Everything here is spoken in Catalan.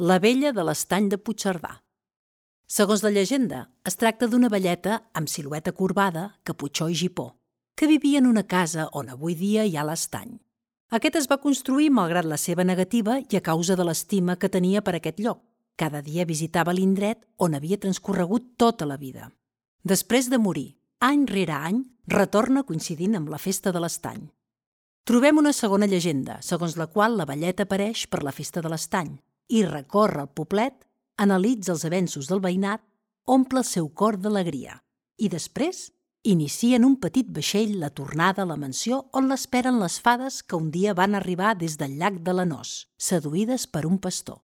La vella de l'estany de Puigcerdà. Segons la llegenda, es tracta d'una velleta amb silueta corbada, caputxó i gipó, que vivia en una casa on avui dia hi ha l'estany. Aquest es va construir malgrat la seva negativa i a causa de l'estima que tenia per aquest lloc. Cada dia visitava l'indret on havia transcorregut tota la vida. Després de morir, any rere any, retorna coincidint amb la festa de l'estany. Trobem una segona llegenda, segons la qual la velleta apareix per la festa de l'estany i recorre el poblet, analitza els avenços del veïnat, omple el seu cor d'alegria i després inicia en un petit vaixell la tornada a la mansió on l'esperen les fades que un dia van arribar des del llac de Lanós, seduïdes per un pastor.